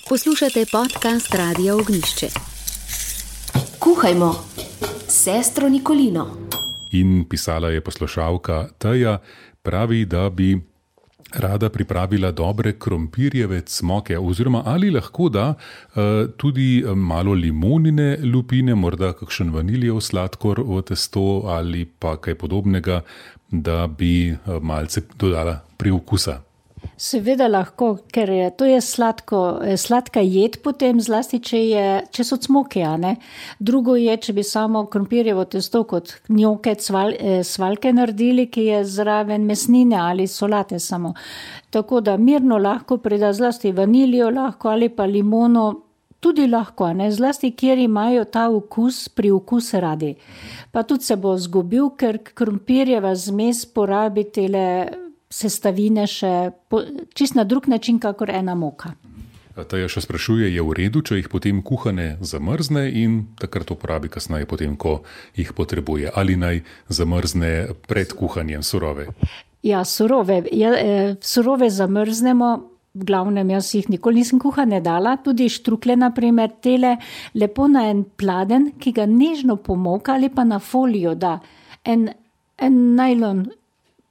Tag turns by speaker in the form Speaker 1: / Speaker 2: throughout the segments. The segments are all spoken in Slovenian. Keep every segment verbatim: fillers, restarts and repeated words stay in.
Speaker 1: Poslušate podcast Radia Ognišče.
Speaker 2: Kuhajmo s sestro Nikolino.
Speaker 3: In pisala je poslušalka Teja, pravi, da bi rada pripravila dobre krompirjeve cmoke, oziroma ali lahko da uh, tudi malo limonine lupine, morda kakšen vaniljev sladkor v testo ali pa kaj podobnega, da bi uh, malce dodala priokusa.
Speaker 4: Seveda lahko, ker je, to je sladko, sladka jed potem, zlasti če, je, če so cmoke, a ne. Drugo je, če bi samo krompirjevo testo kot njoke, cval, svalke naredili, ki je zraven mesnine ali solate samo. Tako da mirno lahko prida zlasti vaniljo lahko ali pa limono, tudi lahko, a ne, zlasti kjer imajo ta okus, pri okus radi. Pa tudi se bo zgubil, ker krompirjeva zmes porabi tele sestavine še po, čist na drug način, kakor ena moka.
Speaker 3: Teja še sprašuje, je v redu, če jih potem kuhane zamrzne in takrat uporabi kasneje potem, ko jih potrebuje. Ali naj zamrzne pred kuhanjem surove?
Speaker 4: Ja, surove. Ja, surove zamrznemo, v glavnem jaz jih nikoli nisem kuhane dala, tudi štrukle naprimer, tele lepo na en pladen, ki ga nežno pomoka ali pa na folijo da. En, en najlon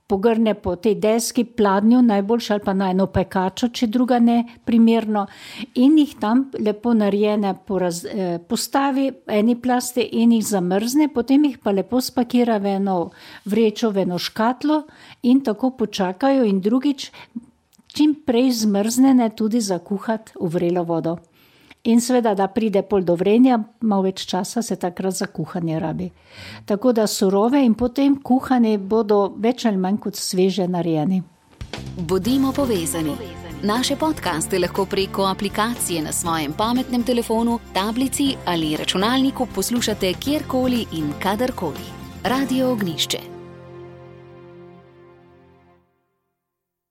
Speaker 4: pogrne po tej deski pladnju, najboljše ali pa na eno pekačo, če druga ne primerno, in jih tam lepo narejene poraz, eh, postavi eni plasti in jih zamrzne, potem jih pa lepo spakira v eno vrečo, v eno škatlo in tako počakajo in drugič čim prej zmrznene tudi zakuhati v vrelo vodo. In seveda, da pride pol do vrenja, malo več časa se takrat za kuhanje rabi. Tako da surove in potem kuhane bodo več ali manj kot sveže narejeni.
Speaker 1: Bodimo povezani. Naše podcaste lahko preko aplikacije na svojem pametnem telefonu, tablici ali računalniku poslušate kjerkoli in kadarkoli. Radio Ognišče.